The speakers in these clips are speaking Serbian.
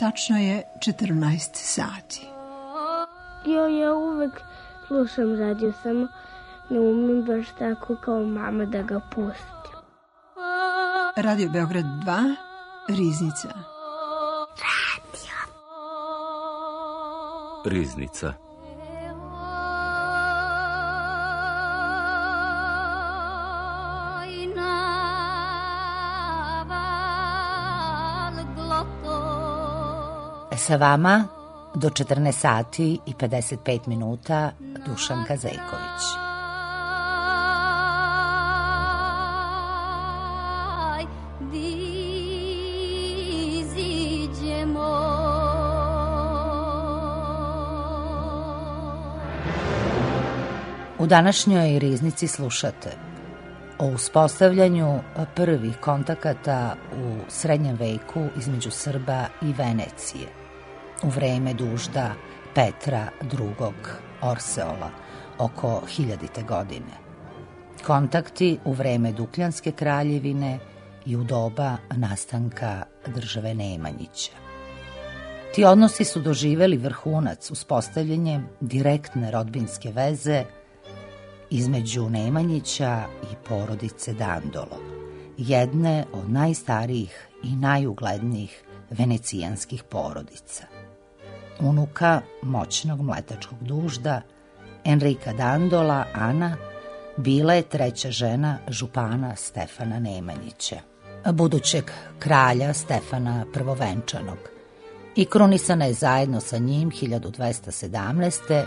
Tačno je 14 sati. Ja uvek slušam radio, samo ne umem baš tako kao mama da ga pustim. Radio Beograd 2, Riznica. Riznica. Sa vama do 14 sati i 55 minuta Dušanka Zejković. U današnjoj Riznici slušate o uspostavljanju prvih kontakata u srednjem veku između Srba i Venecije u vreme dužda Petra II. Orseola oko 1000. godine. Kontakti u vreme Dukljanske kraljevine i u doba nastanka države Nemanjića. Ti odnosi su doživeli vrhunac uspostavljanjem direktne rodbinske veze između Nemanjića i porodice Dandolo, jedne od najstarijih i najuglednijih venecijanskih porodica. Unuka moćnog mletačkog dužda Enrika Dandola, Ana, bila je treća žena župana Stefana Nemanjića, budućeg kralja Stefana Prvovenčanog, i krunisana je zajedno sa njim 1217.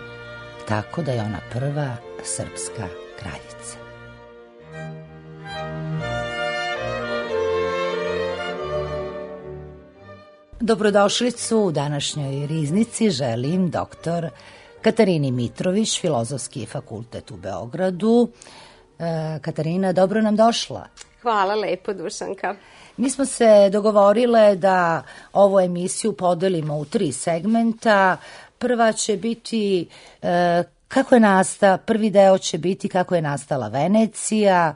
tako da je ona prva srpska kraljica. Dobrodošlicu u današnjoj Riznici želim doktor Katarini Mitrović, Filozofski fakultet u Beogradu. Katarina, dobro nam došla. Hvala lepo, Dušanka. Mi smo se dogovorile da ovu emisiju podelimo u 3 segmenta. Prva će biti prvi deo će biti kako je nastala Venecija,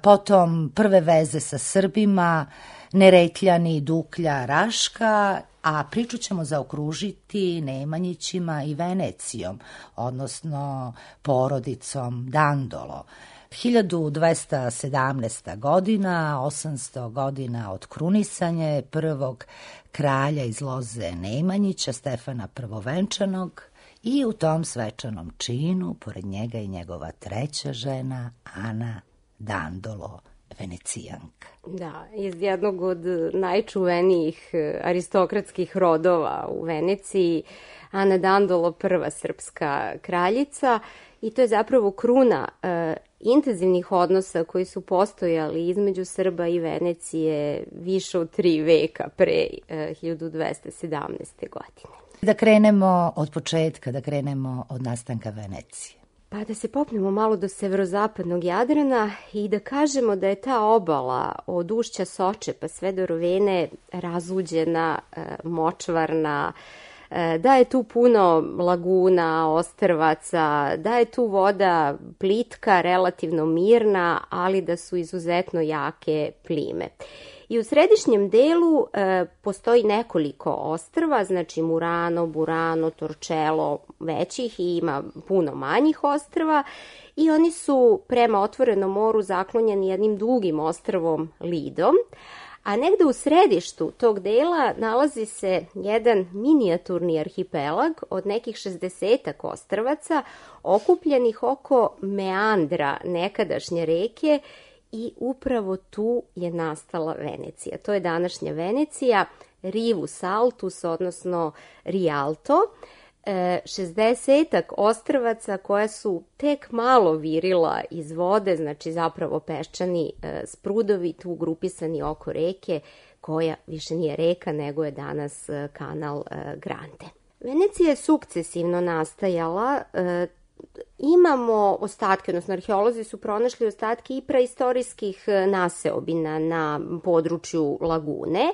potom prve veze sa Srbima, Neretljani, Duklja, Raška, a priču ćemo zaokružiti Nemanjićima i Venecijom, odnosno porodicom Dandolo. 1217. godina, 800 godina od krunisanja prvog kralja iz loze Nemanjića, Stefana Prvovenčanog, i u tom svečanom činu, pored njega i njegova treća žena, Ana Dandolo, Venecijanka. Da, iz jednog od najčuvenijih aristokratskih rodova u Veneciji, Ana Dandolo, prva srpska kraljica, i to je zapravo kruna intenzivnih odnosa koji su postojali između Srba i Venecije više od 3 veka pre 1217. godine. Da krenemo od početka, da krenemo od nastanka Venecije. Pa da se popnemo malo do severozapadnog Jadrana i da kažemo da je ta obala od ušća Soče pa sve do Rovene razuđena, močvarna, da je tu puno laguna, ostrvaca, da je tu voda plitka, relativno mirna, ali da su izuzetno jake plime. I u središnjem delu postoji nekoliko ostrva, znači Murano, Burano, Torcello, većih, i ima puno manjih ostrva, i oni su prema otvorenom moru zaklonjeni jednim dugim ostrvom Lidom, a negde u središtu tog dela nalazi se jedan minijaturni arhipelag od nekih 60-ak ostrvaca okupljenih oko meandra nekadašnje reke, i upravo tu je nastala Venecija. To je današnja Venecija, Rivus Altus, odnosno Rialto, 60-ak ostrvaca koja su tek malo virila iz vode, znači zapravo peščani sprudovi tu grupisani oko reke, koja više nije reka nego je danas kanal Grande. Venecija je sukcesivno nastajala. Imamo ostatke, odnosno arheolozi su pronašli ostatke i praistorijskih naseobina na području lagune.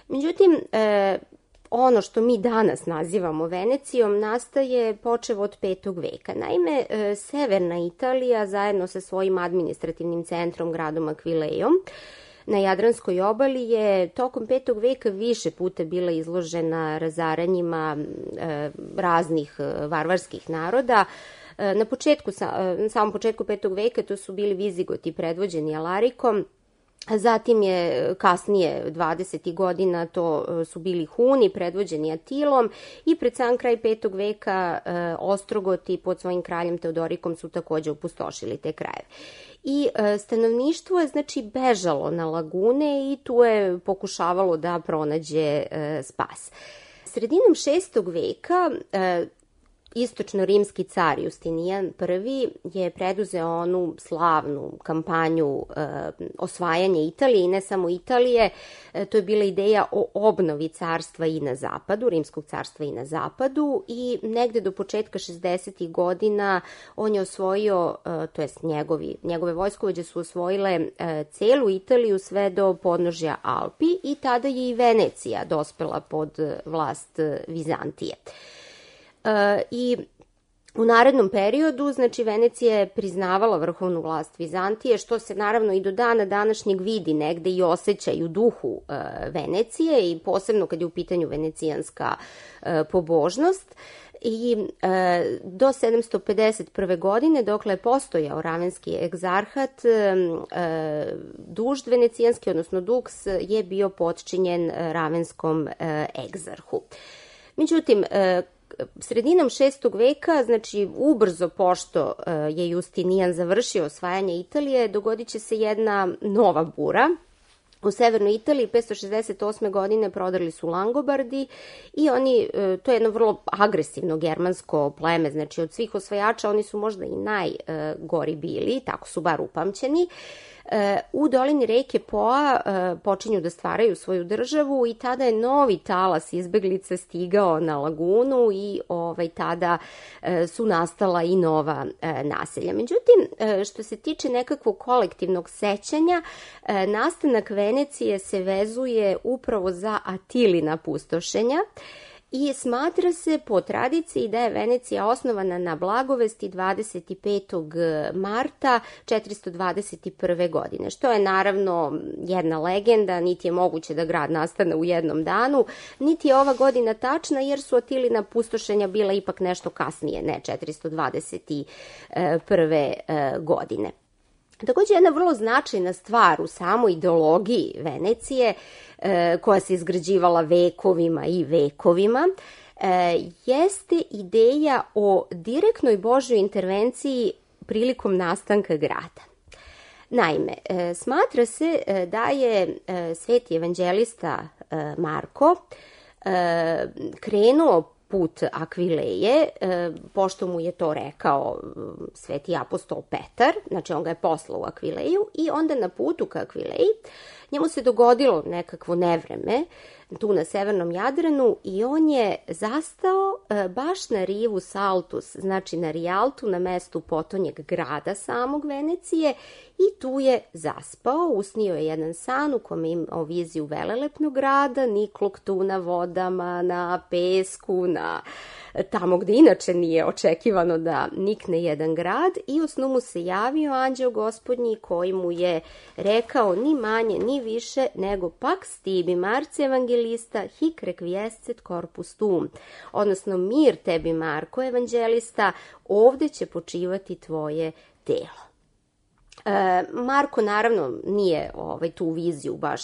Međutim, ono što mi danas nazivamo Venecijom nastaje počev od 5. veka. Naime, severna Italija zajedno sa svojim administrativnim centrom, gradom Akvilejom, na Jadranskoj obali je tokom 5. veka više puta bila izložena razaranjima raznih varvarskih naroda. Na samom početku 5. veka to su bili Vizigoti predvođeni Alarikom, zatim je kasnije 20. godina to su bili Huni predvođeni Atilom i pred sam kraj 5. veka Ostrogoti pod svojim kraljem Teodorikom su takođe opustošili te krajeve. I stanovništvo je znači bežalo na lagune i tu je pokušavalo da pronađe spas. Sredinom 6. veka istočno-rimski car Justinijan I je preduzeo onu slavnu kampanju osvajanja Italije i ne samo Italije, to je bila ideja o obnovi carstva i na zapadu, rimskog carstva i na zapadu i negde do početka 60. godina on je osvojio, to jest njegove vojskovođe su osvojile celu Italiju sve do podnožja Alpi i tada je i Venecija dospela pod vlast Vizantije. I u narednom periodu, znači Venecija je priznavala vrhovnu vlast Vizantije, što se naravno i do dana današnjeg vidi negde i osjeća i u duhu Venecije i posebno kad je u pitanju venecijanska pobožnost. I do 751. godine, dokle je postojao ravenski egzarhat, dužd venecijanski, odnosno duks, je bio potčinjen ravenskom egzarhu. Međutim, sredinom 6. veka, znači ubrzo pošto je Justinijan završio osvajanje Italije, dogodit će se jedna nova bura. U severnoj Italiji 568. godine prodrli su Langobardi i to je jedno vrlo agresivno germansko pleme, znači od svih osvajača oni su možda i najgori bili, tako su bar upamćeni. U dolini reke Poa počinju da stvaraju svoju državu i tada je novi talas izbeglica stigao na lagunu i tada su nastala i nova naselja. Međutim, što se tiče nekakvog kolektivnog sećanja, nastanak Venecije se vezuje upravo za Atilina pustošenja i smatra se po tradiciji da je Venecija osnovana na blagovesti 25. marta 421. godine, što je naravno jedna legenda, niti je moguće da grad nastane u jednom danu, niti je ova godina tačna jer su Atilina pustošenja bila ipak nešto kasnije, ne 421. godine. Takođe, jedna vrlo značajna stvar u samoj ideologiji Venecije, koja se izgrađivala vekovima i vekovima, jeste ideja o direktnoj Božjoj intervenciji prilikom nastanka grada. Naime, smatra se da je sveti evanđelista Marko krenuo put Akvileje, pošto mu je to rekao sveti apostol Petar, znači on ga je poslao u Akvileju i onda na putu ka Akvileji njemu se dogodilo nekakvo nevreme tu na severnom Jadranu i on je zastao baš na rivu Saltus, znači na Rijaltu, na mestu potonjeg grada samog Venecije i tu je zaspao, usnio je jedan san u kome imao viziju velelepnog grada, niklog tu na vodama, na pesku, na tamo gde inače nije očekivano da nikne jedan grad i u snu mu se javio anđeo gospodnji koji mu je rekao ni manje ni više nego pax tibi Marce evangelista hic requiescet corpus tuum, odnosno mir tebi Marko evanđelista, ovde će počivati tvoje telo. Marko naravno nije tu viziju baš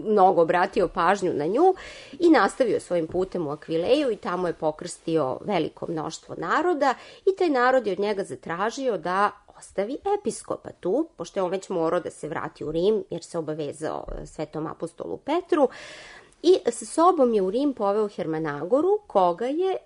mnogo obratio pažnju na nju i nastavio svojim putem u Akvileju i tamo je pokrstio veliko mnoštvo naroda i taj narod je od njega zatražio da ostavi episkopa tu, pošto je on već morao da se vrati u Rim jer se obavezao svetom apostolu Petru. I sa sobom je u Rim poveo Hermanagoru, koga je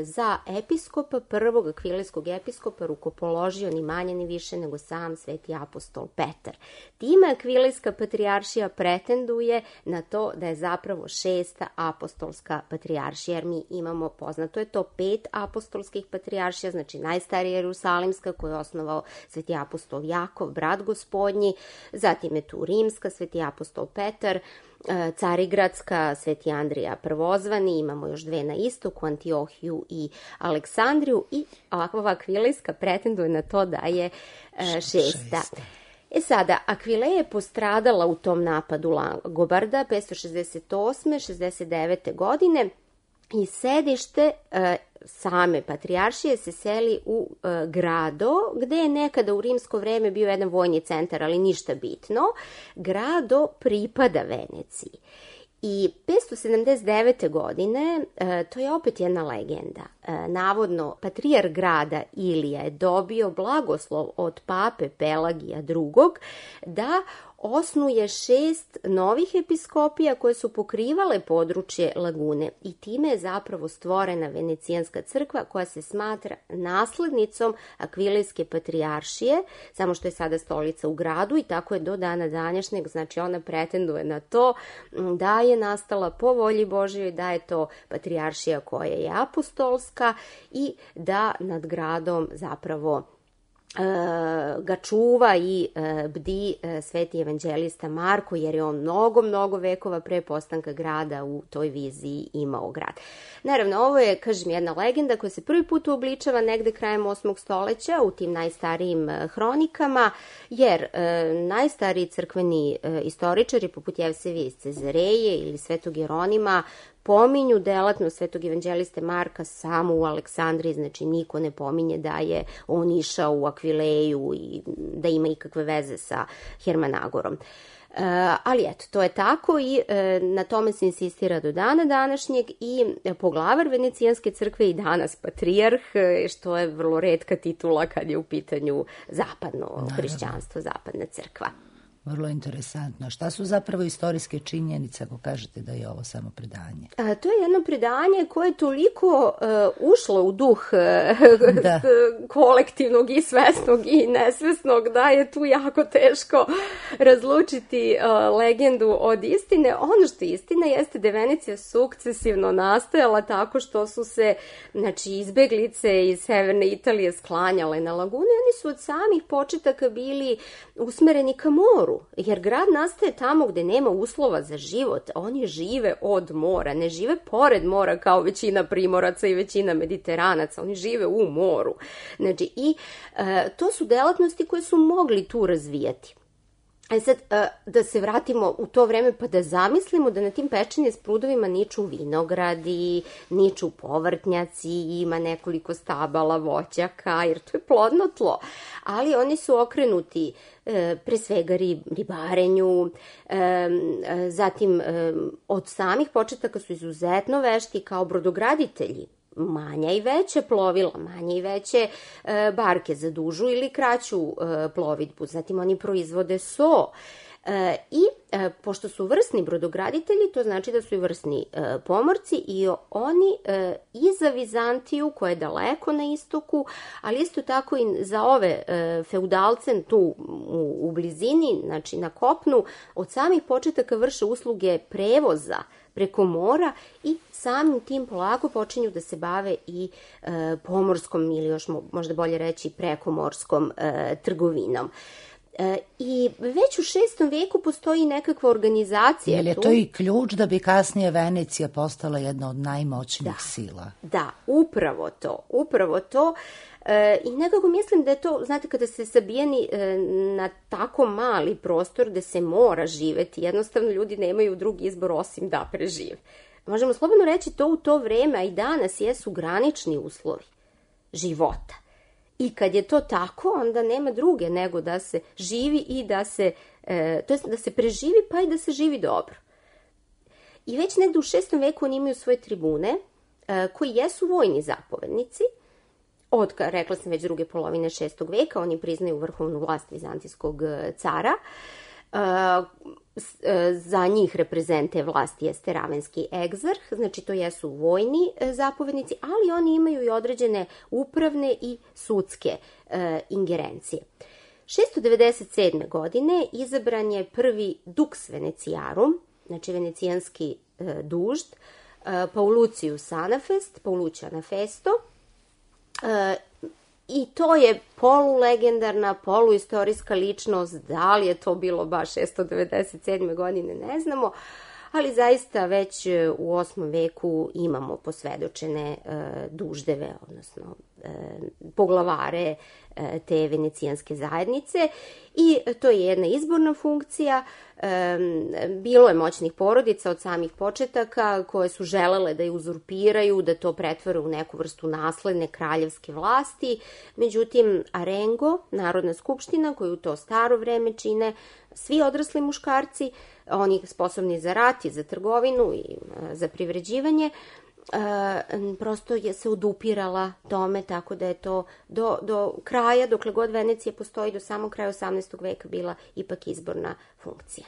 za episkopa, prvog akvilejskog episkopa, rukopoložio ni manje ni više nego sam sveti apostol Petar. Time akvilejska patrijaršija pretenduje na to da je zapravo 6. apostolska patrijaršija, jer mi imamo, poznato je to, 5 apostolskih patrijaršija, znači najstarija Jerusalimska koju je osnovao sveti apostol Jakov, brat gospodnji, zatim je tu rimska, sveti apostol Petar, Carigradska, sveti Andrija prvozvani, imamo još 2 na istoku, Antiohiju i Aleksandriju i ova akvilejska pretenduje na to da je 6. Sada, Akvile je postradala u tom napadu Langobarda 568. 69. godine i sedište same patrijaršije se seli u Grado, gde je nekada u rimsko vreme bio jedan vojni centar, ali ništa bitno. Grado pripada Veneciji. I 579. godine, to je opet jedna legenda, navodno patrijar grada Ilija je dobio blagoslov od pape Pelagija II. Da osnuje 6 novih episkopija koje su pokrivale područje lagune i time je zapravo stvorena Venecijanska crkva koja se smatra naslednicom Akvilejske patrijaršije, samo što je sada stolica u Gradu i tako je do dana današnjeg, znači ona pretenduje na to da je nastala po volji Božjoj, da je to patrijaršija koja je apostolska i da nad Gradom zapravo ga čuva i bdi sveti evanđelista Marko, jer je on mnogo vekova pre postanka grada u toj viziji imao grad. Naravno, ovo je, kažem, jedna legenda koja se prvi put uobličava negde krajem 8. stoleća u tim najstarijim hronikama, jer najstariji crkveni istoričari, poput Jevsevija iz Cezareje ili Svetog Jeronima, pominju delatnost svetog evanđeliste Marka samo u Aleksandriji, znači niko ne pominje da je on išao u Akvileju i da ima ikakve veze sa Hermanagorom. Ali eto, to je tako i na tome se insistira do dana današnjeg i poglavar Venecijanske crkve i danas patrijarh, što je vrlo retka titula kad je u pitanju zapadno hrišćanstvo, zapadna crkva. Vrlo interesantno. Šta su zapravo istorijske činjenice ako kažete da je ovo samo predanje? To je jedno predanje koje je toliko ušlo u duh kolektivnog i svesnog i nesvesnog da je tu jako teško razlučiti legendu od istine. Ono što je istina jeste da je Venecija sukcesivno nastajala tako što su se izbeglice iz severne Italije sklanjale na lagunu i oni su od samih početaka bili usmereni ka moru. Jer grad nastaje tamo gde nema uslova za život. Oni žive od mora, ne žive pored mora kao većina Primoraca i većina Mediteranaca. Oni žive u moru. Znači, i to su delatnosti koje su mogli tu razvijati. Sad, da se vratimo u to vreme pa da zamislimo da na tim pečenje s prudovima niču vinogradi, niču povrtnjaci, ima nekoliko stabala voćaka, jer to je plodno tlo. Ali oni su okrenuti pre svega ribarenju, zatim od samih početaka su izuzetno vešti kao brodograditelji. Manja i veća plovila, manje i veće barke za dužu ili kraću plovidbu. Zatim oni proizvode so. I pošto su vrsni brodograditelji, to znači da su i vrsni pomorci i oni i za Vizantiju, koja je daleko na istoku, ali isto tako i za ove feudalce tu u blizini, znači na kopnu, od samih početaka vrše usluge prevoza preko mora i samim tim polako počinju da se bave i pomorskom ili još možda bolje reći prekomorskom trgovinom. I već u 6. veku postoji nekakva organizacija. Je li to i ključ da bi kasnije Venecija postala jedna od najmoćnijih sila? Da, upravo to. I nekako mislim da je to, znate, kada ste sabijeni na tako mali prostor da se mora živeti, jednostavno ljudi nemaju drugi izbor osim da prežive. Možemo slobodno reći to u to vreme, a i danas jesu granični uslovi života. I kad je to tako, onda nema druge nego da se živi i da se, to jest da se preživi pa i da se živi dobro. I već negde u 6. veku oni imaju svoje tribune koji jesu vojni zapovednici. Od, rekla sam, već druge polovine 6. veka, oni priznaju vrhovnu vlast vizantijskog cara. Za njih reprezente vlasti jeste ravenski egzarh, znači to jesu vojni zapovednici, ali oni imaju i određene upravne i sudske ingerencije. 697. godine izabran je prvi dux Veneciarum, znači venecijanski dužd, Paulucius Anafesto, i to je polulegendarna, poluistorijska ličnost. Da li je to bilo baš 697. godine, ne znamo, ali zaista već u 8. veku imamo posvedočene duždeve, odnosno poglavare te venecijanske zajednice i to je jedna izborna funkcija. Bilo je moćnih porodica od samih početaka koje su želele da je uzurpiraju, da to pretvore u neku vrstu nasledne kraljevske vlasti. Međutim, Arengo, Narodna skupština, koju u to staro vreme čine svi odrasli muškarci, oni sposobni za rat i za trgovinu i za privređivanje, prosto je se odupirala tome, tako da je to do kraja, dokle god Venecija postoji, do samog kraja 18. veka bila ipak izborna funkcija.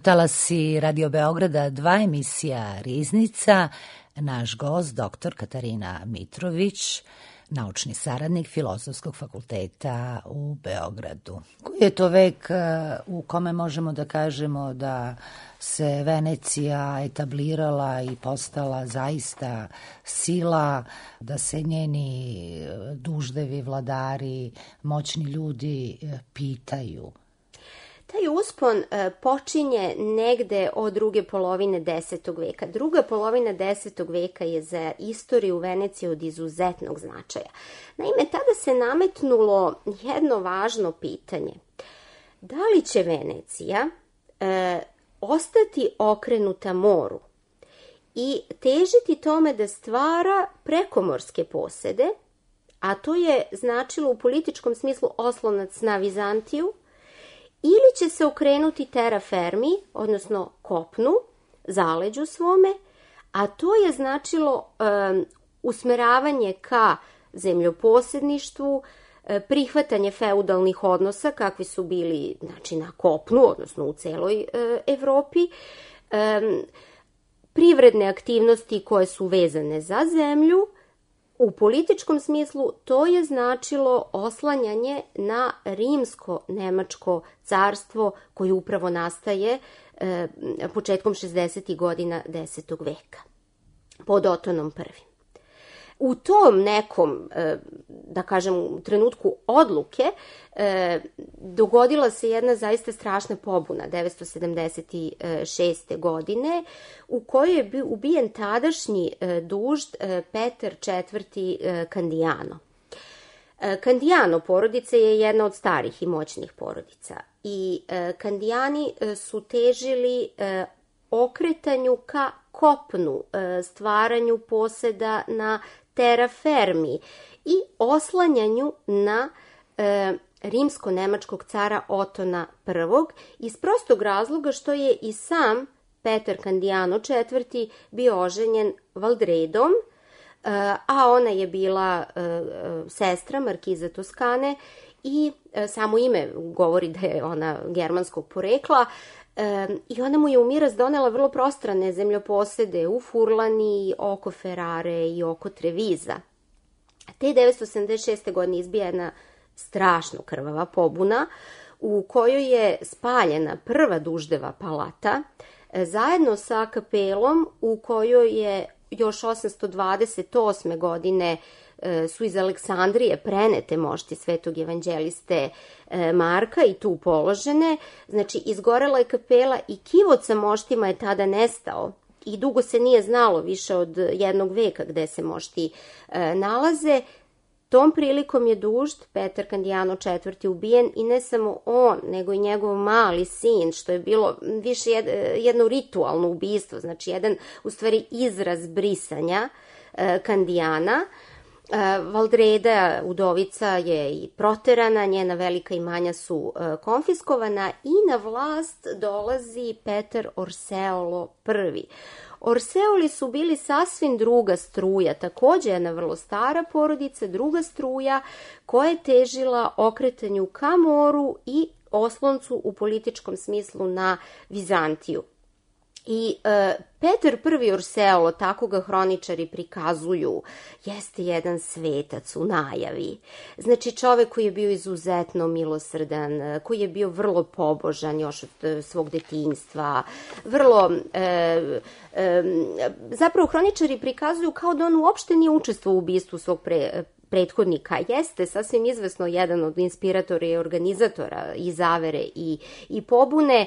Talasi Radio Beograda 2, emisija Riznica. Naš gost, dr. Katarina Mitrović, naučni saradnik Filozofskog fakulteta u Beogradu. Koji je to vek u kome možemo da kažemo da se Venecija etablirala i postala zaista sila, da se njeni duždevi, vladari, moćni ljudi pitaju? Taj uspon počinje negde od druge polovine 10. veka. Druga polovina 10. veka je za istoriju Venecije od izuzetnog značaja. Naime, tada se nametnulo jedno važno pitanje. Da li će Venecija ostati okrenuta moru i težiti tome da stvara prekomorske posede, a to je značilo u političkom smislu oslonac na Vizantiju, ili će se okrenuti terra firmi, odnosno kopnu, zaleđu svome, a to je značilo usmeravanje ka zemljoposedništvu, prihvatanje feudalnih odnosa, kakvi su bili na kopnu, odnosno u celoj Evropi, privredne aktivnosti koje su vezane za zemlju. U političkom smislu to je značilo oslanjanje na rimsko-nemačko carstvo koje upravo nastaje početkom 60. godina 10. veka pod Otonom I. U tom nekom, da kažem, trenutku odluke dogodila se jedna zaista strašna pobuna 976. godine u kojoj je ubijen tadašnji dužd Petar IV. Candiano. Candiano porodica je jedna od starih i moćnih porodica i Candijani su težili okretanju ka kopnu, stvaranju poseda na terra firmi i oslanjanju na rimsko-nemačkog cara Otona I iz prostog razloga što je i sam Petar Candiano IV. Bio oženjen Valdredom, a ona je bila sestra markiza Toskane i samo ime govori da je ona germanskog porekla. I ona mu je u miraz donela vrlo prostrane zemljoposede u Furlani, oko Ferrare i oko Treviza. Te 976. godine izbija jedna strašno krvava pobuna u kojoj je spaljena prva Duždeva palata zajedno sa kapelom u kojoj je još 828. godine su iz Aleksandrije prenete mošti svetog evanđeliste Marka i tu položene. Znači, izgorela je kapela i kivot sa moštima je tada nestao i dugo se nije znalo, više od jednog veka, gde se mošti nalaze. Tom prilikom je Dužd, Petar Candiano IV. Ubijen i ne samo on, nego i njegov mali sin, što je bilo više jedno ritualno ubistvo, znači jedan u stvari izraz brisanja Candiana. Valdreda, udovica, je i proterana, njena velika imanja su konfiskovana i na vlast dolazi Petar Orseolo I. Orseoli su bili sasvim druga struja, takođe jedna vrlo stara porodica, druga struja koja je težila okretanju ka moru i osloncu u političkom smislu na Vizantiju. I Petar I. Orseolo, tako ga hroničari prikazuju, jeste jedan svetac u najavi. Znači, čovek koji je bio izuzetno milosrdan, koji je bio vrlo pobožan još od svog detinjstva, vrlo... Zapravo, hroničari prikazuju kao da on uopšte nije učestvovao u ubistvu svog prethodnika. Jeste sasvim izvesno jedan od inspiratora i organizatora i zavere i pobune.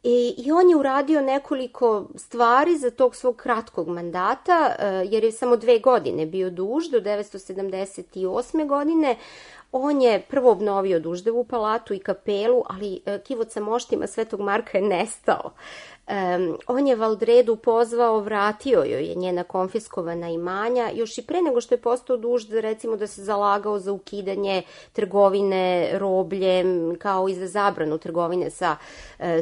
I on je uradio nekoliko stvari za tog svog kratkog mandata, jer je samo 2 godine bio duž, do 978. godine. On je prvo obnovio Duždevu palatu i kapelu, ali kivot sa moštima Svetog Marka je nestao. On je Valdredu pozvao, vratio joj je njena konfiskovana imanja, još i pre nego što je postao Dužd, recimo da se zalagao za ukidanje trgovine robljem, kao i za zabranu trgovine sa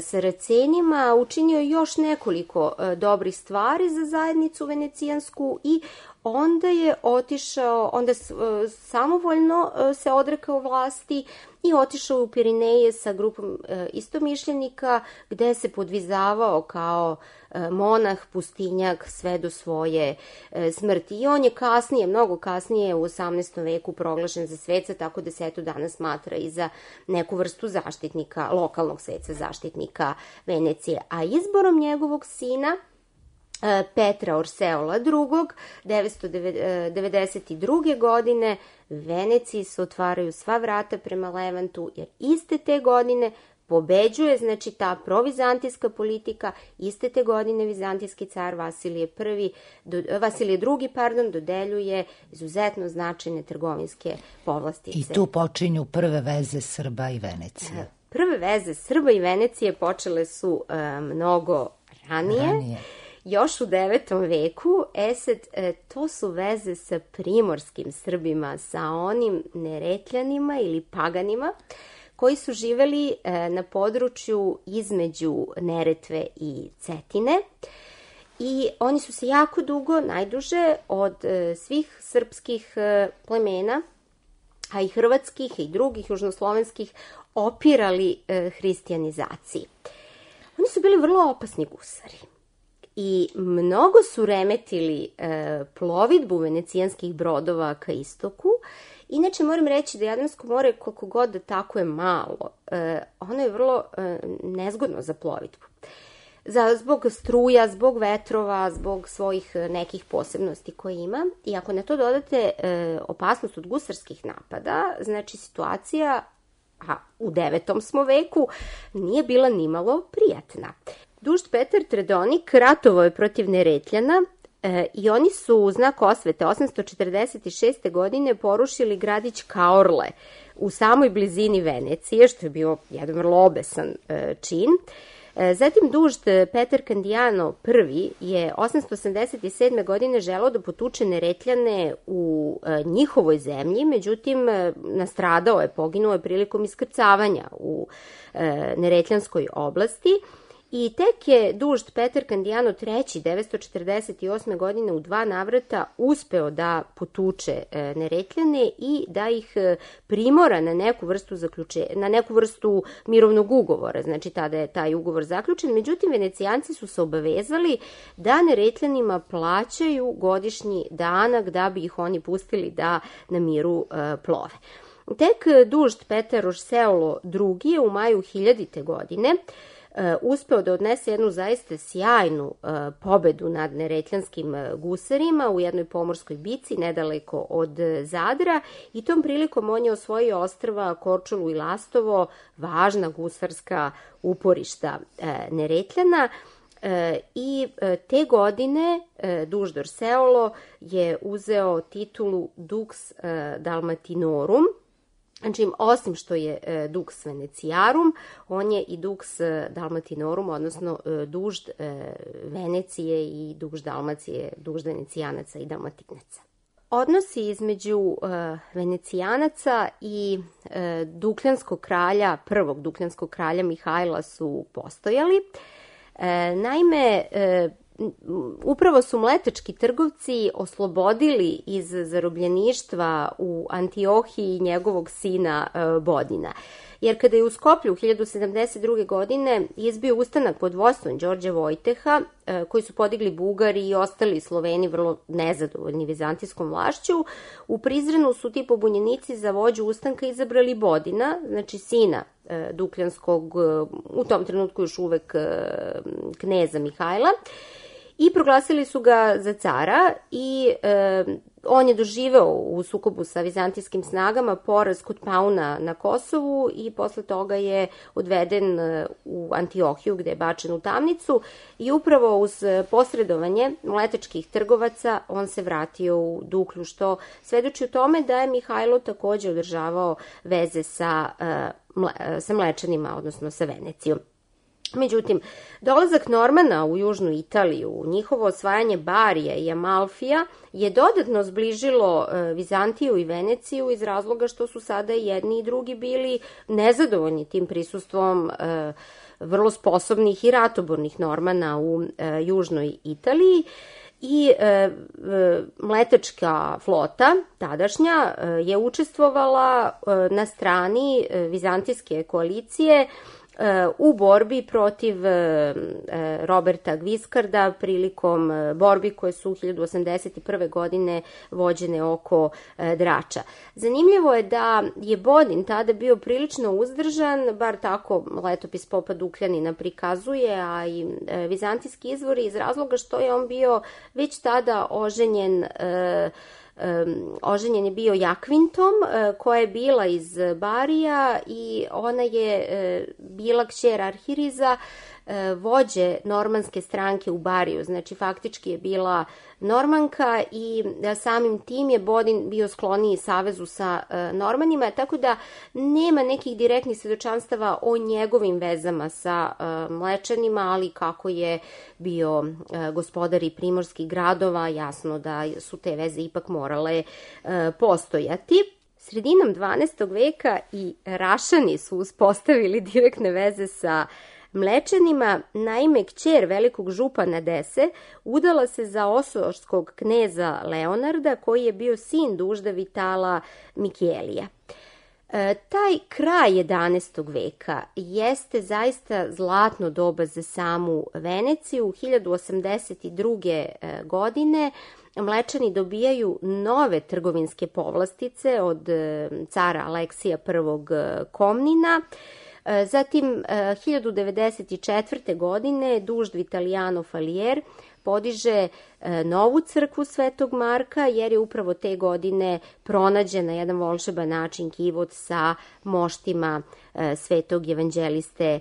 Saracenima, učinio je još nekoliko dobrih stvari za zajednicu venecijansku i onda je otišao, onda samovoljno se odrekao vlasti i otišao u Pirineje sa grupom istomišljenika gde se podvizavao kao monah, pustinjak sve do svoje smrti. I on je kasnije, mnogo kasnije u 18. veku proglašen za sveca, tako da se eto danas smatra i za neku vrstu zaštitnika, lokalnog sveca zaštitnika Venecije. A izborom njegovog sina Petra Orseola II. 992. godine Veneciji se otvaraju sva vrata prema Levantu, jer iste te godine pobeđuje, znači ta provizantijska politika, iste te godine vizantijski car Vasilije II. Dodeljuje izuzetno značajne trgovinske povlastice. I tu počinju prve veze Srba i Venecije. Prve veze Srba i Venecije počele su mnogo ranije. Još u 9. veku, to su veze sa primorskim Srbima, sa onim Neretljanima ili Paganima, koji su živeli na području između Neretve i Cetine. I oni su se jako dugo, najduže od svih srpskih plemena, a i hrvatskih i drugih južnoslovenskih, opirali hristijanizaciji. Oni su bili vrlo opasni gusari. I mnogo su remetili plovidbu venecijanskih brodova ka istoku. Inače, moram reći da Jadransko more, koliko god da tako je malo, ono je vrlo nezgodno za plovidbu. Zbog struja, zbog vetrova, zbog svojih nekih posebnosti koje ima. I ako na to dodate opasnost od gusarskih napada, znači situacija, a u 9. smo veku, nije bila nimalo prijatna. Dužd Petar Tredonik ratovao je protiv Neretljana i oni su u znak osvete 846. godine porušili gradić Kaorle u samoj blizini Venecije, što je bio jedan vrlo obesan čin. Zatim dužd Petar Candiano I je 887. godine želeo da potuče Neretljane u njihovoj zemlji, međutim nastradao je, poginuo je prilikom iskrcavanja u Neretljanskoj oblasti. I tek je dužd Petar Candiano III 948. godine u 2 navrata uspeo da potuče Neretljane i da ih primora na neku vrstu mirovnog ugovora. Znači tada je taj ugovor zaključen. Međutim, Venecijanci su se obavezali da Neretljanima plaćaju godišnji danak da bi ih oni pustili da na miru plove. Tek dužd Petar Orseolo II je u maju 1000. godine uspeo da odnese jednu zaista sjajnu pobedu nad neretljanskim gusarima u jednoj pomorskoj bici nedaleko od Zadra i tom prilikom on je osvojio ostrva Korčulu i Lastovo, važna gusarska uporišta Neretljana. I te godine dužd Orseolo je uzeo titulu Dux Dalmatinorum. Znači, osim što je Dux Veneciarum, on je i Dux Dalmatinorum, odnosno dužd Venecije i dužd Dalmacije, dužd Venecijanaca i Dalmatinaca. Odnosi između Venecijanaca i prvog Dukljanskog kralja Mihajla su postojali. Naime, upravo su mletački trgovci oslobodili iz zarobljeništva u Antiohiji njegovog sina Bodina. Jer kada je u Skoplju 1072. godine izbio ustanak pod vodstvom Đorđa Vojteha, koji su podigli Bugari i ostali Sloveni vrlo nezadovoljni vizantijskom vlašću, u Prizrenu su ti pobunjenici za vođu ustanka izabrali Bodina, znači sina Dukljanskog, u tom trenutku još uvek kneza Mihajla, i proglasili su ga za cara i on je doživeo u sukobu sa vizantijskim snagama poraz kod Pauna na Kosovu i posle toga je odveden u Antiohiju gde je bačen u tamnicu i upravo uz posredovanje mletačkih trgovaca on se vratio u Duklju, što svedoči o tome da je Mihajlo takođe održavao veze sa Mlečanima, odnosno sa Venecijom. Međutim, dolazak Normana u južnu Italiju, njihovo osvajanje Barija i Amalfija je dodatno zbližilo Vizantiju i Veneciju iz razloga što su sada jedni i drugi bili nezadovoljni tim prisustvom vrlo sposobnih i ratobornih Normana u južnoj Italiji. I mletačka flota, tadašnja, je učestvovala na strani vizantijske koalicije u borbi protiv Roberta Guiscarda prilikom borbi koje su 1081. godine vođene oko Drača. Zanimljivo je da je Bodin tada bio prilično uzdržan, bar tako letopis popa Dukljanina prikazuje, a i vizantijski izvori, iz razloga što je on bio već tada oženjen je bio Jakvintom, koja je bila iz Barija i ona je bila kćer Arhiriza, vođe normanske stranke u Bariju. Znači, faktički je bila Normanka i samim tim je Bodin bio skloniji savezu sa Normanima, tako da nema nekih direktnih svedočanstava o njegovim vezama sa Mlečanima, ali kako je bio gospodar i primorskih gradova, jasno da su te veze ipak morale postojati. Sredinom 12. veka i Rašani su uspostavili direktne veze sa Mlečanima. Naime, kćer velikog župana Dese udala se za osoškog kneza Leonarda, koji je bio sin dužda Vitala Mikelija. Taj kraj 11. veka jeste zaista zlatno doba za samu Veneciju. 1082. godine Mlečani dobijaju nove trgovinske povlastice od cara Aleksija I. Komnina. Zatim, 1094. godine dužd Vitaliano Falier podiže novu crkvu Svetog Marka, jer je upravo te godine pronađen na jedan volšeban način kivot sa moštima svetog evanđeliste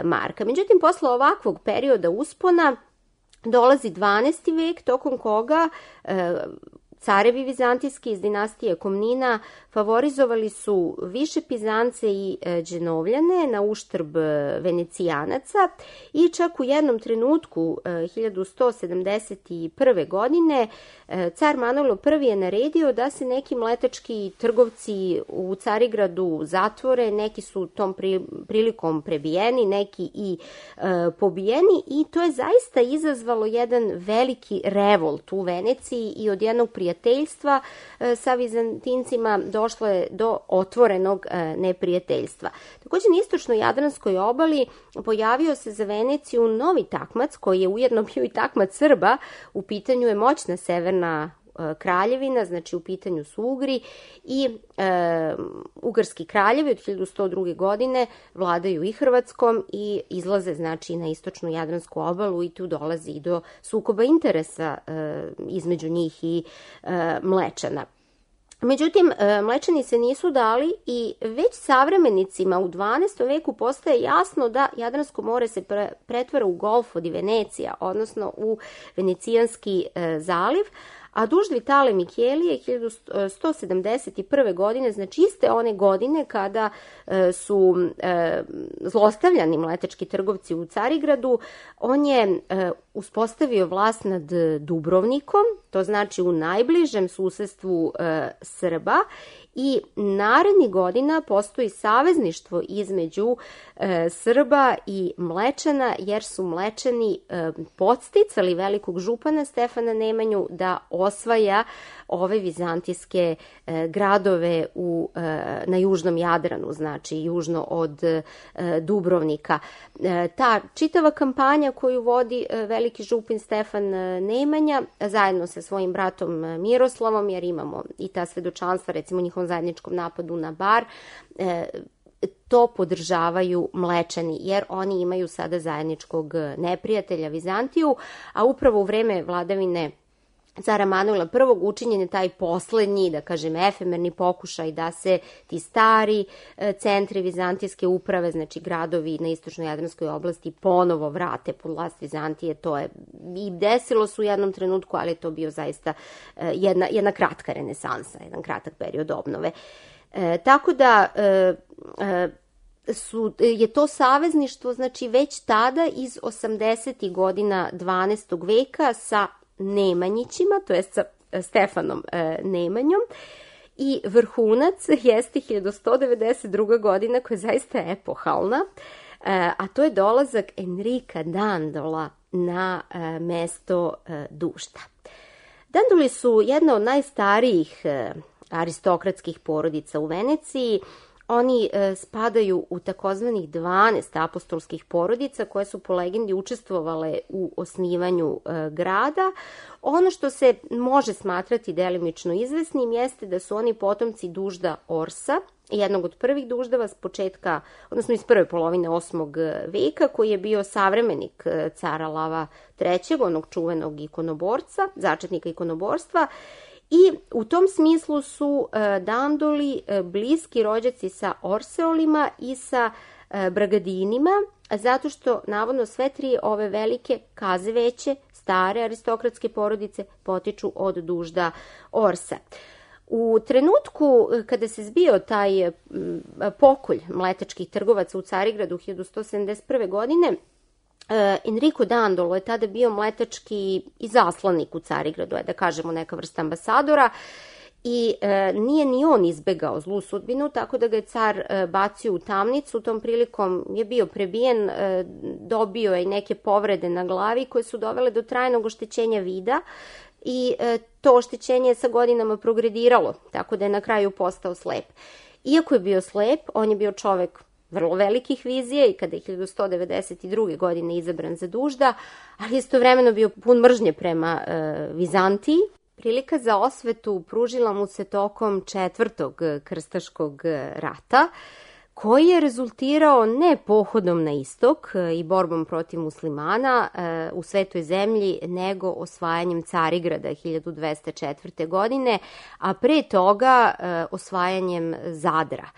Marka. Međutim, posle ovakvog perioda uspona dolazi 12. vek, tokom koga Carevi vizantijski iz dinastije Komnina favorizovali su više Pizance i Dženovljane na uštrb Venecijanaca i čak u jednom trenutku 1171. godine car Manojlo I je naredio da se neki mletački trgovci u Carigradu zatvore, neki su tom prilikom prebijeni, neki i pobijeni i to je zaista izazvalo jedan veliki revolt u Veneciji i od jednog prijateljstva sa Vizantincima došlo je do otvorenog neprijateljstva. Također na istočnoj Jadranskoj obali pojavio se za Veneciju novi takmac koji je ujedno bio i takmac Srba. U pitanju je moćna severna kraljevina, znači u pitanju su Ugri i ugarski kraljevi od 1102. godine vladaju i Hrvatskom i izlaze znači na istočnu Jadransku obalu i tu dolazi i do sukoba interesa između njih i Mlečana. Međutim, Mlečani se nisu dali i već savremenicima u 12. veku postaje jasno da Jadransko more se pretvara u Golfo di Venecija, odnosno u Venecijanski zaliv, a duž Vitale Mikelije 1171. godine, znači iste one godine kada su zlostavljani mletački trgovci u Carigradu, on je uspostavio vlast nad Dubrovnikom, to znači u najbližem susedstvu Srba, i narednih godina postoji savezništvo između Srba i Mlečana, jer su Mlečani podsticali velikog župana Stefana Nemanju da osvaja ove vizantijske gradove na južnom Jadranu, znači južno od Dubrovnika. Ta čitava kampanja koju vodi veliki župin Stefan Nemanja zajedno sa svojim bratom Miroslavom, jer imamo i ta svedočanstva, recimo njihovom zajedničkom napadu na Bar, to podržavaju Mlečani, jer oni imaju sada zajedničkog neprijatelja Vizantiju, a upravo u vreme vladavine cara Manojla I učinjen je taj poslednji, da kažem, efemerni pokušaj da se ti stari centri vizantijske uprave, znači gradovi na istočnoj Jadranskoj oblasti, ponovo vrate pod vlast Vizantije. To je i desilo se u jednom trenutku, ali je to bio zaista jedna kratka renesansa, jedan kratak period obnove. Tako da je to savezništvo, znači već tada iz 80. godina 12. veka sa Nemanjićima, to je sa Stefanom Nemanjom, i vrhunac jeste 1192. godina koja je zaista epohalna, a to je dolazak Enrika Dandola na mesto Dušta. Dandoli su jedna od najstarijih aristokratskih porodica u Veneciji. Oni spadaju u takozvanih 12 apostolskih porodica koje su po legendi učestvovale u osnivanju grada. Ono što se može smatrati delimično izvesnim jeste da su oni potomci Dužda Orsa, jednog od prvih duždava s početka, odnosno iz prve polovine 8. veka, koji je bio savremenik cara Lava III, onog čuvenog ikonoborca, začetnika ikonoborstva. I u tom smislu su Dandoli bliski rođaci sa Orseolima i sa Bragadinima, zato što navodno sve tri ove velike kazeveće, stare aristokratske porodice potiču od Dužda Orsa. U trenutku kada se zbio taj pokolj mletačkih trgovaca u Carigradu 1171. godine, Enrico Dandolo je tada bio mletački izaslanik u Carigradu, da kažemo neka vrsta ambasadora, i nije ni on izbegao zlu sudbinu, tako da ga je car bacio u tamnicu. Tom prilikom je bio prebijen, dobio je i neke povrede na glavi koje su dovele do trajnog oštećenja vida i to oštećenje je sa godinama progrediralo, tako da je na kraju postao slep. Iako je bio slep, on je bio čovek vrlo velikih vizija i kada je 1192. godine izabran za Dužda, ali istovremeno bio pun mržnje prema Vizantiji. Prilika za osvetu pružila mu se tokom 4. krstaškog rata, koji je rezultirao ne pohodom na istok i borbom protiv muslimana u Svetoj zemlji, nego osvajanjem Carigrada 1204. godine, a pre toga osvajanjem Zadra.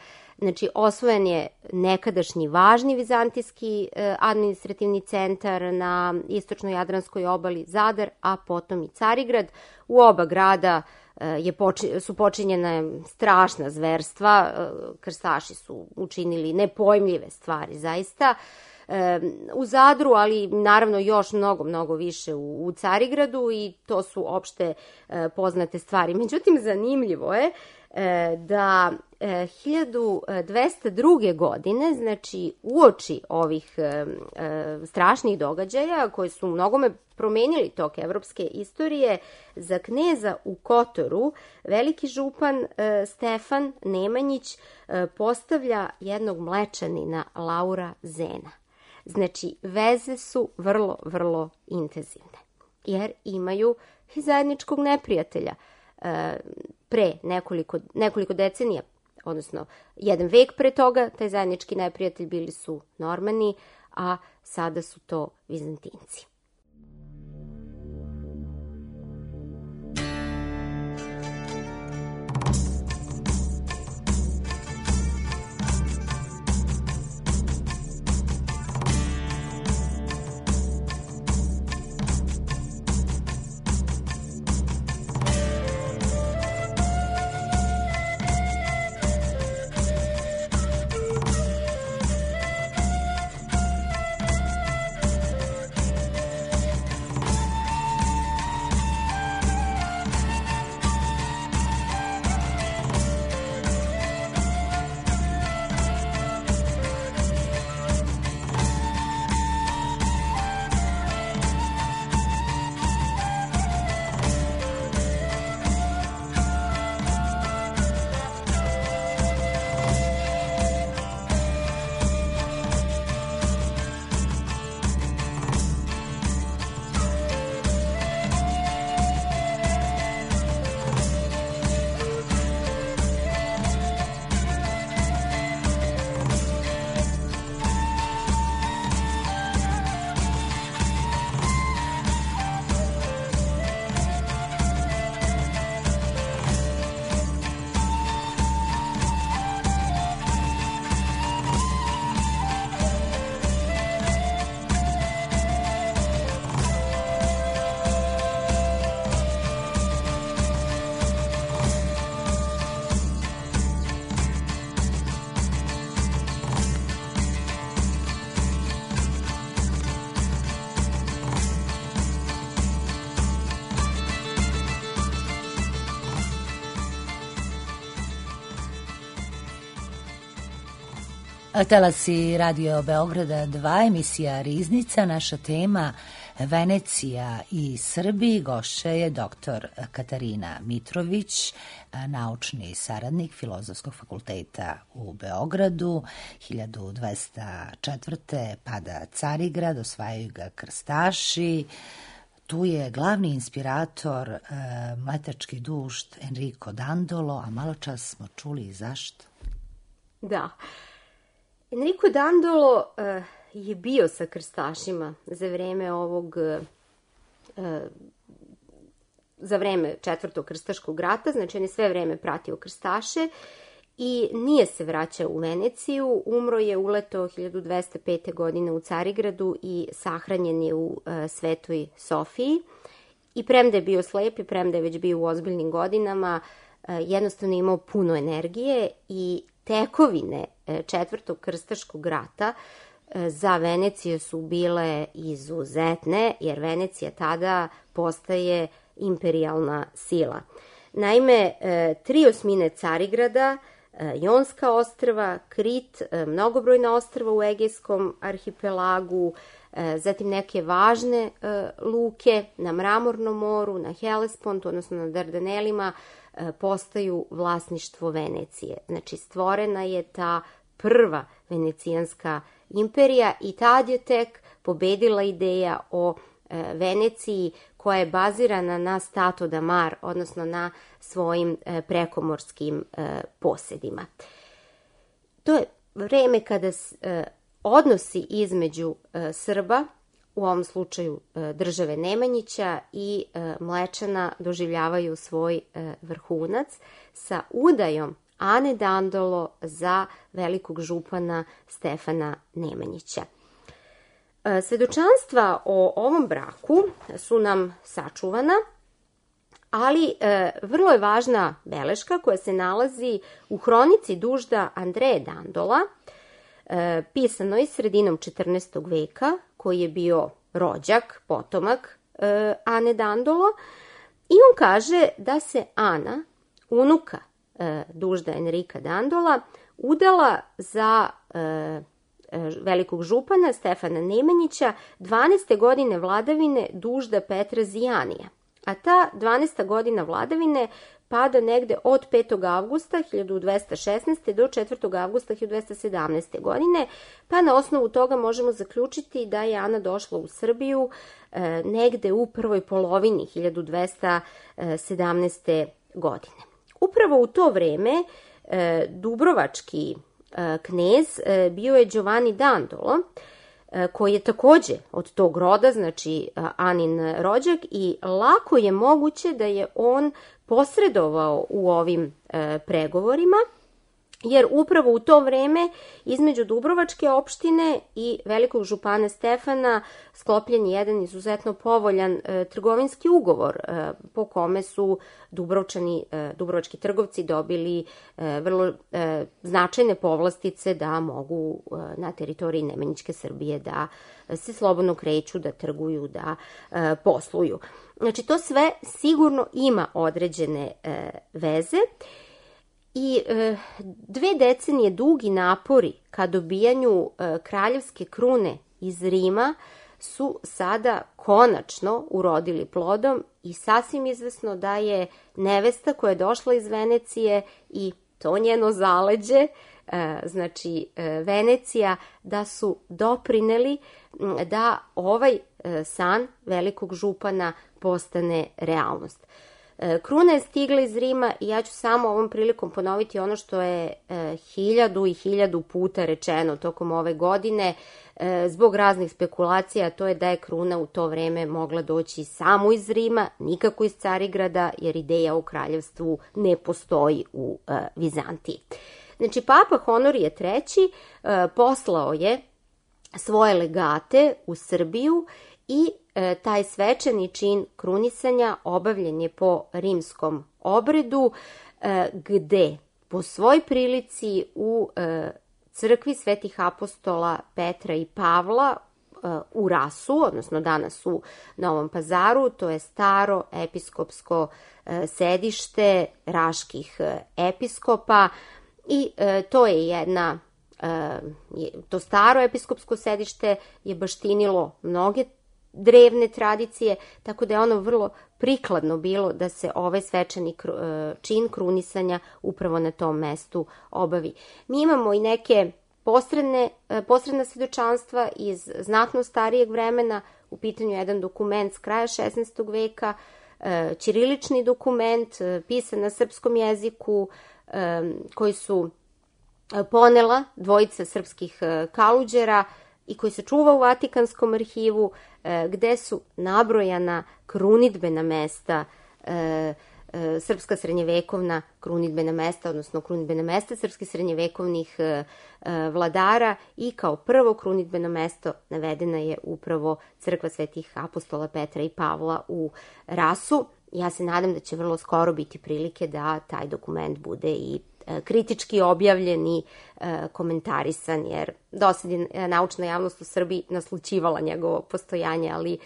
Znači, osvojen je nekadašnji važni vizantijski administrativni centar na istočnoj Jadranskoj obali Zadar, a potom i Carigrad. U oba grada su počinjena strašna zverstva, krstaši su učinili nepojmljive stvari zaista, u Zadru, ali naravno još mnogo više u Carigradu i to su opšte poznate stvari. Međutim, zanimljivo je da 1202. godine, znači uoči ovih strašnih događaja koji su mnogome promenili tok evropske istorije, za kneza u Kotoru veliki župan Stefan Nemanjić postavlja jednog Mlečanina Laura Zena. Znači, veze su vrlo intenzivne, jer imaju i zajedničkog neprijatelja. Pre nekoliko decenija, odnosno jedan vek pre toga, taj zajednički neprijatelj bili su Normani, a sada su to Vizantinci. Talasi Radio Beograda 2, emisija Riznica, naša tema Venecija i Srbi. Gošća je dr. Katarina Mitrović, naučni saradnik Filozofskog fakulteta u Beogradu. 1204. pada Carigrad, osvajaju ga krstaši. Tu je glavni inspirator mletački dušt Enrico Dandolo, a malo čas smo čuli i zašto. Da. Enrico Dandolo je bio sa krstašima za vreme Četvrtog krstaškog rata, znači on je sve vreme pratio krstaše i nije se vraćao u Veneciju. Umro je uleto 1205. godine u Carigradu i sahranjen je u Svetoj Sofiji. I premda je bio slep i premda je već bio u ozbiljnim godinama, jednostavno imao puno energije i tekovine Četvrtog krstaškog rata za Veneciju su bile izuzetne, jer Venecija tada postaje imperijalna sila. Naime, 3 osmine Carigrada, Jonska ostrva, Krit, mnogobrojna ostrva u Egejskom arhipelagu, zatim neke važne luke na Mramornom moru, na Helespontu, odnosno na Dardanelima, postaju vlasništvo Venecije. Znači, stvorena je ta prva venecijanska imperija i tad je tek pobedila ideja o Veneciji koja je bazirana na Stato da Mar, odnosno na svojim prekomorskim posedima. To je vreme kada odnosi između Srba, u ovom slučaju države Nemanjića i Mlečana, doživljavaju svoj vrhunac sa udajom Ane Dandolo za velikog župana Stefana Nemanjića. Svedočanstva o ovom braku su nam sačuvana, ali vrlo je važna beleška koja se nalazi u hronici dužda Andreje Dandola, pisanoj sredinom 14. veka, koji je bio rođak, potomak Ane Dandolo, i on kaže da se Ana, unuka dužda Enrika Dandola, udala za velikog župana Stefana Nemanjića 12. godine vladavine dužda Petra Zijanija. A ta 12. godina vladavine pada negde od 5. avgusta 1216. do 4. avgusta 1217. godine, pa na osnovu toga možemo zaključiti da je Ana došla u Srbiju negde u prvoj polovini 1217. godine. Upravo u to vreme dubrovački knez bio je Giovanni Dandolo, koji je takođe od tog roda, znači Anin rođak, i lako je moguće da je on posredovao u ovim pregovorima, jer upravo u to vreme između Dubrovačke opštine i velikog župana Stefana sklopljen je jedan izuzetno povoljan trgovinski ugovor po kome su dubrovački trgovci dobili vrlo značajne povlastice da mogu na teritoriji Nemanjićke Srbije da se slobodno kreću, da trguju, da posluju. Znači, to sve sigurno ima određene veze. I 2 decenije dugi napori ka dobijanju kraljevske krune iz Rima su sada konačno urodili plodom i sasvim izvesno da je nevesta koja je došla iz Venecije i to njeno zaleđe, znači Venecija, da su doprineli da ovaj san velikog župana postane realnost. Kruna je stigla iz Rima i ja ću samo ovom prilikom ponoviti ono što je 1000 i 1000 puta rečeno tokom ove godine zbog raznih spekulacija, to je da je kruna u to vreme mogla doći samo iz Rima, nikako iz Carigrada, jer ideja o kraljevstvu ne postoji u Vizantiji. Znači, Papa Honorije III poslao je svoje legate u Srbiju i taj svečani čin krunisanja obavljen je po rimskom obredu, gde po svoj prilici u crkvi svetih apostola Petra i Pavla u Rasu, odnosno danas u Novom Pazaru, to je staro episkopsko sedište raških episkopa, i to je jedna, to staro episkopsko sedište je baštinilo mnoge drevne tradicije, tako da je ono vrlo prikladno bilo da se ovaj svečani čin krunisanja upravo na tom mestu obavi. Mi imamo i neke posredna svedočanstva iz znatno starijeg vremena. U pitanju je jedan dokument s kraja 16. veka, ćirilični dokument, pisan na srpskom jeziku, koji su ponela dvojica srpskih kaluđera i koji se čuva u Vatikanskom arhivu, gde su nabrojana krunidbena mesta, srpska srednjevekovna krunidbena mesta, odnosno krunidbena mesta srpskih srednjevekovnih vladara, i kao prvo krunidbeno mesto navedena je upravo crkva svetih apostola Petra i Pavla u Rasu. Ja se nadam da će vrlo skoro biti prilike da taj dokument bude i kritički objavljen i komentarisan, jer dosad je naučna javnost u Srbiji naslućivala njegovo postojanje, ali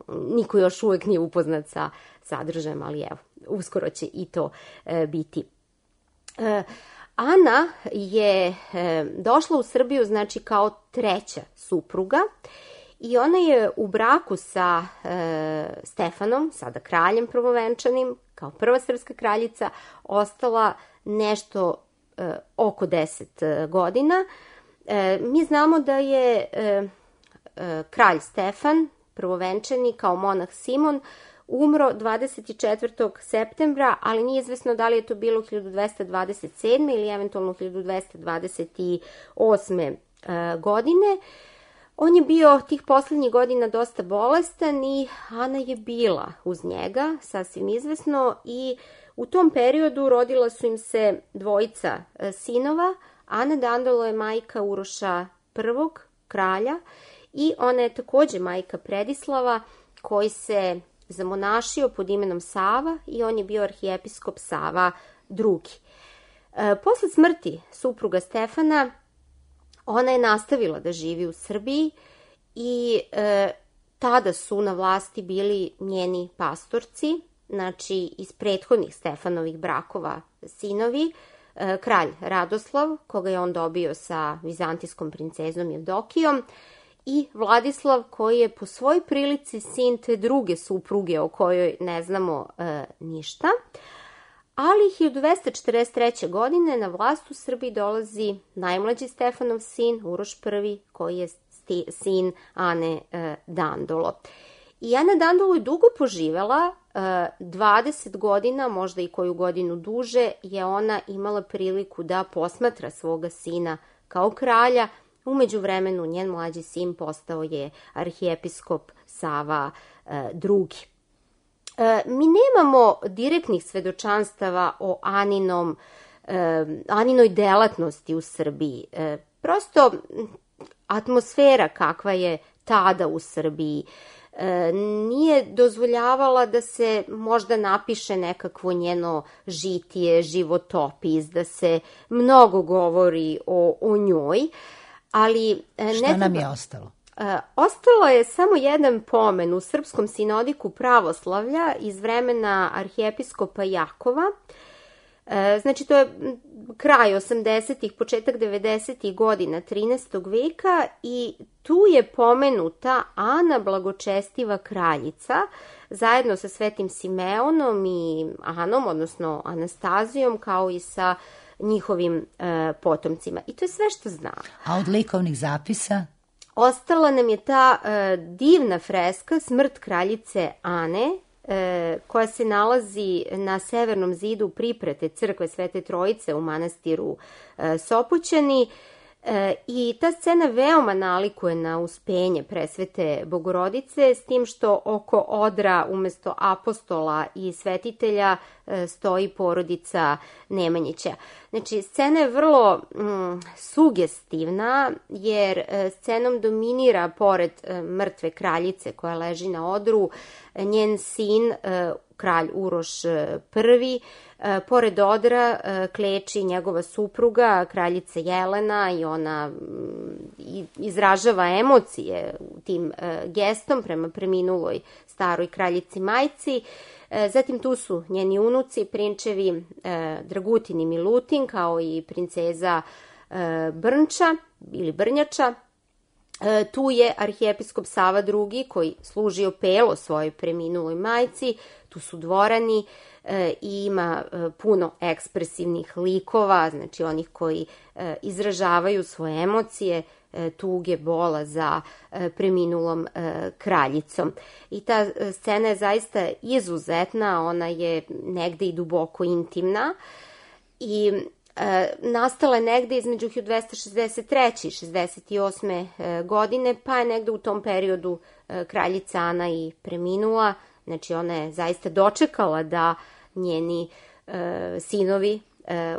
niko još uvek nije upoznat sa sadržajem, ali evo, uskoro će i to biti. Ana je došla u Srbiju, znači, kao treća supruga, i ona je u braku sa Stefanom, sada kraljem prvovenčanim, kao prva srpska kraljica, ostala nešto oko 10 godina. Mi znamo da je kralj Stefan, prvovenčani, kao monah Simon, umro 24. septembra, ali nije izvesno da li je to bilo 1227. ili eventualno 1228. godine. On je bio tih poslednjih godina dosta bolestan i Ana je bila uz njega, sasvim izvesno, i u tom periodu rodila su im se dvojica sinova. Ana Dandolo je majka Uroša I, kralja, i ona je takođe majka Predislava, koji se zamonašio pod imenom Sava i on je bio arhijepiskop Sava II. Posle smrti supruga Stefana, ona je nastavila da živi u Srbiji i tada su na vlasti bili njeni pastorci, znači iz prethodnih Stefanovih brakova sinovi, kralj Radoslav, koga je on dobio sa vizantijskom princezom Jevdokijom, i Vladislav, koji je po svoj prilici sin te druge supruge o kojoj ne znamo ništa. Ali 1243. godine na vlast u Srbiji dolazi najmlađi Stefanov sin, Uroš I, koji je sin Ane Dandolo. I Ana Dandolo je dugo poživela, 20 godina, možda i koju godinu duže, je ona imala priliku da posmatra svoga sina kao kralja. U međuvremenu njen mlađi sin postao je arhijepiskop Sava II. Mi nemamo direktnih svedočanstava o Aninoj delatnosti u Srbiji. Prosto atmosfera kakva je tada u Srbiji nije dozvoljavala da se možda napiše nekakvo njeno žitije, životopis, da se mnogo govori o njoj. Ali šta nam je ostalo? Ostalo je samo jedan pomen u Srpskom sinodiku pravoslavlja iz vremena arhijepiskopa Jakova. Znači, to je kraj 80-ih, početak 90-ih godina 13. veka i tu je pomenuta Ana Blagočestiva kraljica zajedno sa Svetim Simeonom i Anom, odnosno Anastazijom, kao i sa njihovim potomcima. I to je sve što znam. A od likovnih zapisa? Ostala nam je ta divna freska Smrt kraljice Ane, koja se nalazi na severnom zidu priprate crkve Svete Trojice u manastiru Sopoćani. I ta scena veoma nalikuje na uspenje presvete Bogorodice, s tim što oko odra umesto apostola i svetitelja stoji porodica Nemanjića. Znači, scena je vrlo sugestivna, jer scenom dominira, pored mrtve kraljice koja leži na odru, njen sin, kralj Uroš I. Pored odra kleči njegova supruga, kraljica Jelena, i ona izražava emocije tim gestom prema preminuloj staroj kraljici majci. Zatim tu su njeni unuci, prinčevi Dragutin i Milutin, kao i princeza Brnča ili Brnjača. Tu je arhijepiskop Sava II, koji služio pelo svojoj preminuloj majci. Tu su dvorani i ima puno ekspresivnih likova, znači onih koji izražavaju svoje emocije, tuge, bola za preminulom kraljicom. I ta scena je zaista izuzetna, ona je negde i duboko intimna i nastala je negde između 1263. i 68. godine, pa je negde u tom periodu kraljica Ana i preminula. Znači, ona je zaista dočekala da njeni sinovi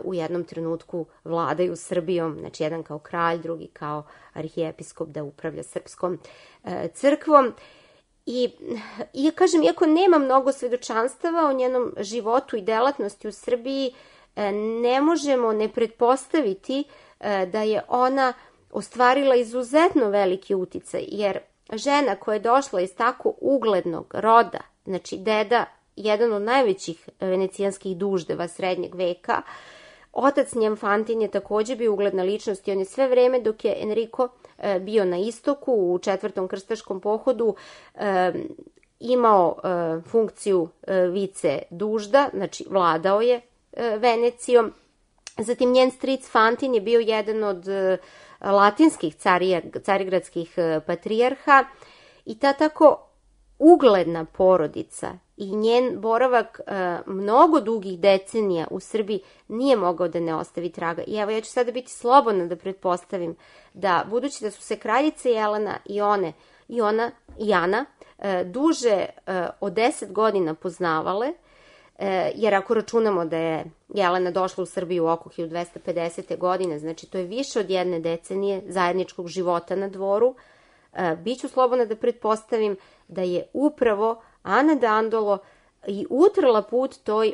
u jednom trenutku vladaju Srbijom, znači jedan kao kralj, drugi kao arhijepiskop da upravlja srpskom crkvom. I ja kažem, iako nema mnogo svedočanstava o njenom životu i delatnosti u Srbiji, ne možemo ne pretpostaviti da je ona ostvarila izuzetno veliki uticaj, jer žena koja je došla iz tako uglednog roda, znači deda, jedan od najvećih venecijanskih duždeva srednjeg veka, otac njen Fantin je takođe bio ugledna ličnost i on je sve vreme dok je Enrico bio na istoku u Četvrtom krstaškom pohodu imao funkciju vice dužda, znači vladao je Venecijom. Zatim njen stric Fantin je bio jedan od latinskih carigradskih patrijarha i ta tako ugledna porodica i njen boravak mnogo dugih decenija u Srbiji nije mogao da ne ostavi traga. I evo, ja ću sada biti slobodna da pretpostavim da, budući da su se kraljica Jelena i Ana duže od 10 godina poznavale, jer ako računamo da je Jelena došla u Srbiju oko 1250. godine, znači to je više od jedne decenije zajedničkog života na dvoru, biću slobodna da pretpostavim da je upravo Ana Dandolo i utrla put toj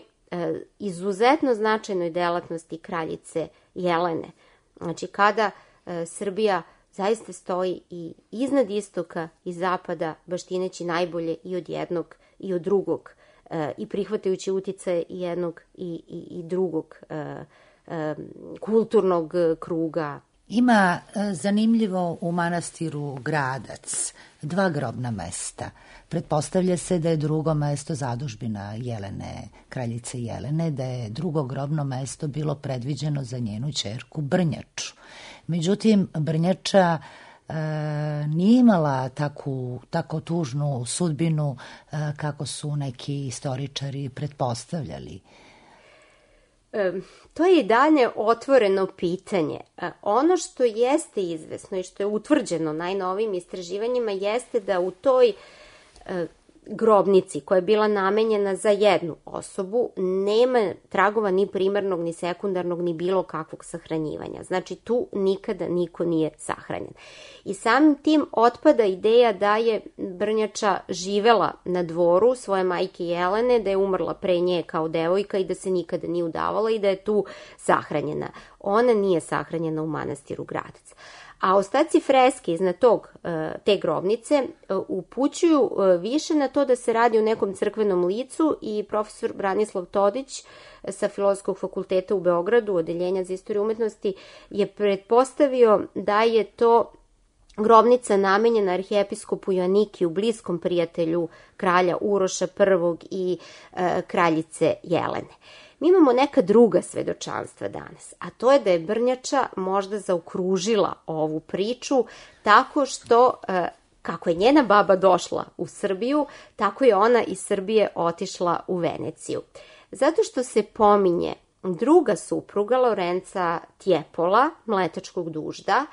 izuzetno značajnoj delatnosti kraljice Jelene. Znači, kada Srbija zaista stoji i iznad istoka i zapada, baštineći najbolje i od jednog i od drugog, i prihvatajući uticaje i jednog i drugog kulturnog kruga. Ima zanimljivo u manastiru Gradac 2 grobna mesta. Pretpostavlja se da je drugo mesto zadužbina Jelene, kraljice Jelene, da je drugo grobno mesto bilo predviđeno za njenu ćerku Brnjaču. Međutim, Brnjača nije imala tako tužnu sudbinu kako su neki istoričari pretpostavljali. To je i dalje otvoreno pitanje. Ono što jeste izvesno i što je utvrđeno najnovijim istraživanjima jeste da u toj grobnici koja je bila namenjena za jednu osobu nema tragova ni primarnog, ni sekundarnog, ni bilo kakvog sahranjivanja. Znači, tu nikada niko nije sahranjen. I samim tim otpada ideja da je Brnjača živela na dvoru svoje majke Jelene, da je umrla pre nje kao devojka i da se nikada nije udavala i da je tu sahranjena. Ona nije sahranjena u manastiru Gradac. A ostaci freske iznad te grobnice upućuju više na to da se radi o nekom crkvenom licu i profesor Branislav Todić sa Filozofskog fakulteta u Beogradu, Odeljenja za istoriju umetnosti, je pretpostavio da je to grobnica namenjena arhijepiskopu Joanikiju, bliskom prijatelju kralja Uroša I i kraljice Jelene. Mi imamo neka druga svedočanstva danas, a to je da je Brnjača možda zaokružila ovu priču tako što, kako je njena baba došla u Srbiju, tako je ona iz Srbije otišla u Veneciju. Zato što se pominje druga supruga Lorenca Tjepola, mletačkog dužda,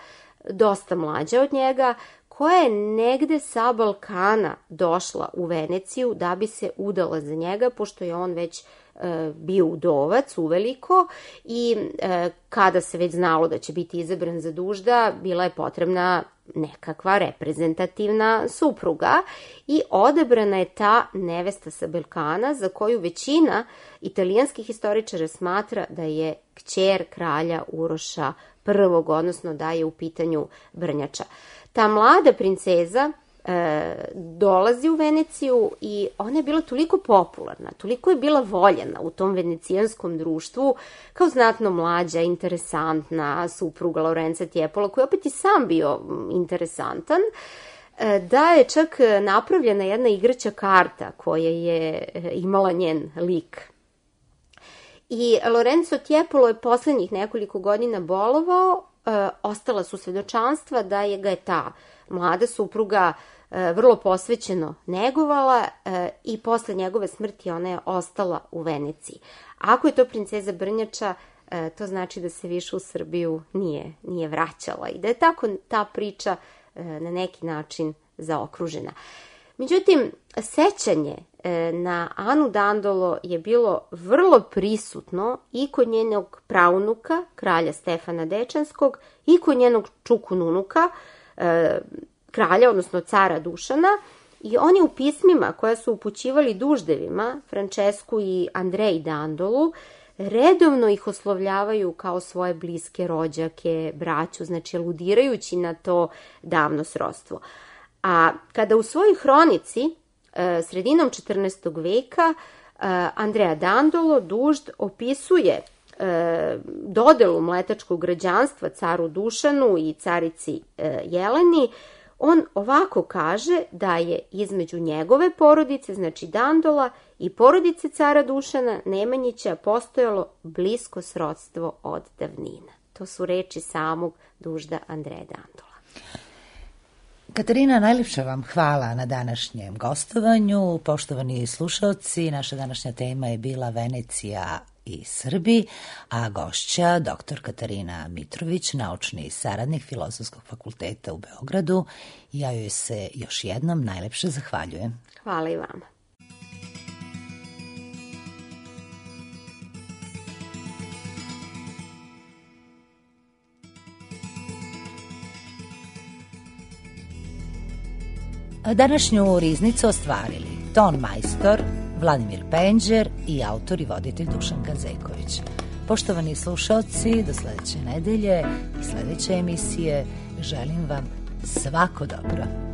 dosta mlađa od njega, koja je negde sa Balkana došla u Veneciju da bi se udala za njega, pošto je on već bio udovac uveliko i kada se već znalo da će biti izabran za dužda, bila je potrebna nekakva reprezentativna supruga i odabrana je ta nevesta sa Balkana za koju većina italijanskih historičara smatra da je kćer kralja Uroša I, odnosno da je u pitanju Brnjača. Ta mlada princeza dolazi u Veneciju i ona je bila toliko popularna, toliko je bila voljena u tom venecijanskom društvu kao znatno mlađa, interesantna supruga Lorenca Tjepola, koji opet i sam bio interesantan, da je čak napravljena jedna igraća karta koja je imala njen lik. I Lorenzo Tjepolo je poslednjih nekoliko godina bolovao, ostala su svedočanstva da ga je ta mlada supruga vrlo posvećeno negovala i posle njegove smrti ona je ostala u Veneciji. Ako je to princeza Brnjača, to znači da se više u Srbiju nije vraćala i da je tako ta priča na neki način zaokružena. Međutim, sećanje na Anu Dandolo je bilo vrlo prisutno i kod njenog praunuka, kralja Stefana Dečanskog, i kod njenog čukununuka, kralja, odnosno cara Dušana, i oni u pismima koja su upućivali duždevima, Francesku i Andreji Dandolu, redovno ih oslovljavaju kao svoje bliske rođake, braću, znači aludirajući na to davno srodstvo. A kada u svojoj hronici, sredinom 14. veka, Andrea Dandolo, dužd, opisuje dodelu mletačkog građanstva caru Dušanu i carici Jeleni, on ovako kaže da je između njegove porodice, znači Dandola, i porodice cara Dušana Nemanjića postojalo blisko srodstvo od davnina. To su reči samog dužda Andreja Dandola. Katarina, najljepša vam hvala na današnjem gostovanju. Poštovani slušalci, naša današnja tema je bila Venecija i Srbi, a gošća dr. Katarina Mitrović, naučni saradnik Filozofskog fakulteta u Beogradu. Ja joj se još jednom najlepše zahvaljujem. Hvala i vama. Današnju riznicu ostvarili ton majstor Vladimir Penđer i autor i voditelj Dušan Ganzeković. Poštovani slušalci, do sledeće nedelje i sledeće emisije želim vam svako dobro.